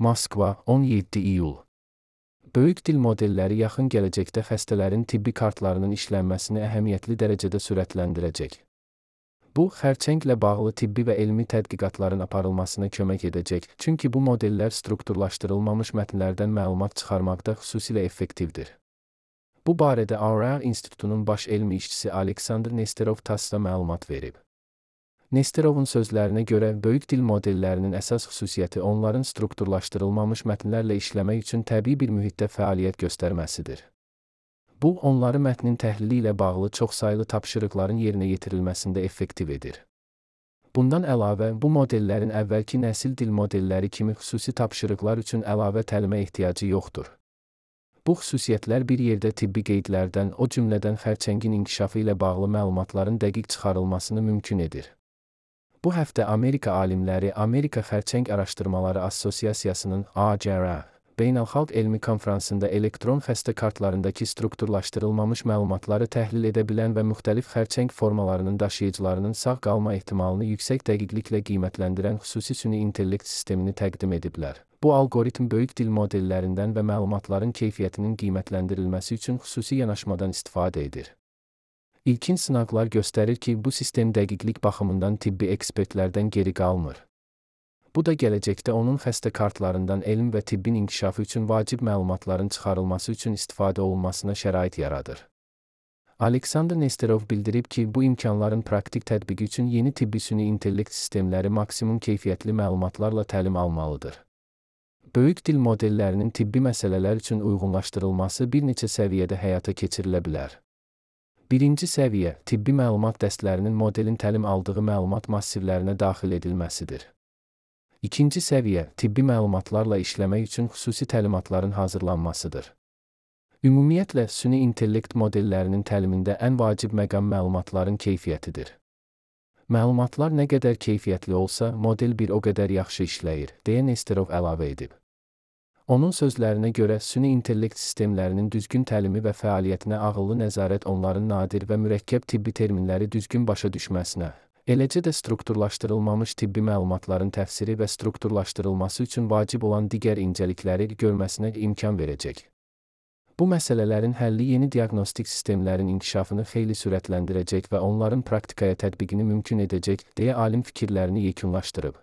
Moskva, 17 iyul. Böyük dil modelləri yaxın gələcəkdə xəstələrin tibbi kartlarının işlənməsini əhəmiyyətli dərəcədə sürətləndirəcək. Bu, xərçənglə bağlı tibbi və elmi tədqiqatların aparılmasına kömək edəcək, çünki bu modellər strukturlaşdırılmamış mətnlərdən məlumat çıxarmaqda xüsusilə effektivdir. Bu barədə ARR İnstitutunun baş elmi işçisi Aleksandr Nesterov TASS-da məlumat verib. Nesterovun sözlərinə görə, böyük dil modellərinin əsas xüsusiyyəti onların strukturlaşdırılmamış mətnlərlə işləmək üçün təbii bir mühitdə fəaliyyət göstərməsidir. Bu, onları mətnin təhlili ilə bağlı çoxsaylı tapşırıqların yerinə yetirilməsində effektiv edir. Bundan əlavə, bu modellərin əvvəlki nəsil dil modelləri kimi xüsusi tapşırıqlar üçün əlavə təlimə ehtiyacı yoxdur. Bu xüsusiyyətlər bir yerdə tibbi qeydlərdən, o cümlədən xərçəngin inkişafı ilə bağlı məlumatların dəqiq çıxarılmasını mümkün edir. Bu həftə Amerika alimləri Amerika Xərçəng Araşdırmaları Assosiasiyasının AJRA beynəlxalq elmi konfransında elektron xəstə kartlarındakı strukturlaşdırılmamış məlumatları təhlil edə bilən və müxtəlif xərçəng formalarının daşıyıcılarının sağ qalma ehtimalını yüksək dəqiqliklə qiymətləndirən xüsusi süni intellekt sistemini təqdim ediblər. Bu algoritm böyük dil modellərindən və məlumatların keyfiyyətinin qiymətləndirilməsi üçün xüsusi yanaşmadan istifadə edir. İlkin sınaqlar göstərir ki, bu sistem dəqiqlik baxımından tibbi ekspertlərdən geri qalmır. Bu da gələcəkdə onun xəstə kartlarından elm və tibbin inkişafı üçün vacib məlumatların çıxarılması üçün istifadə olunmasına şərait yaradır. Aleksandr Nesterov bildirib ki, bu imkanların praktik tətbiqi üçün yeni tibbi süni intellekt sistemləri maksimum keyfiyyətli məlumatlarla təlim almalıdır. Böyük dil modellərinin tibbi məsələlər üçün uyğunlaşdırılması bir neçə səviyyədə həyata keçirilə bilər. Birinci səviyyə, tibbi məlumat dəstlərinin modelin təlim aldığı məlumat massivlərinə daxil edilməsidir. İkinci səviyyə, tibbi məlumatlarla işləmək üçün xüsusi təlimatların hazırlanmasıdır. Ümumiyyətlə, süni intellekt modellərinin təlimində ən vacib məqam məlumatların keyfiyyətidir. Məlumatlar nə qədər keyfiyyətli olsa, model bir o qədər yaxşı işləyir, deyə Nesterov əlavə edib. Onun sözlərinə görə, süni intellekt sistemlərinin düzgün təlimi və fəaliyyətinə ağıllı nəzarət onların nadir və mürəkkəb tibbi terminləri düzgün başa düşməsinə, eləcə də strukturlaşdırılmamış tibbi məlumatların təfsiri və strukturlaşdırılması üçün vacib olan digər incəlikləri görməsinə imkan verəcək. Bu məsələlərin həlli yeni diaqnostik sistemlərin inkişafını xeyli sürətləndirəcək və onların praktikaya tətbiqini mümkün edəcək, deyə alim fikirlərini yekunlaşdırıb.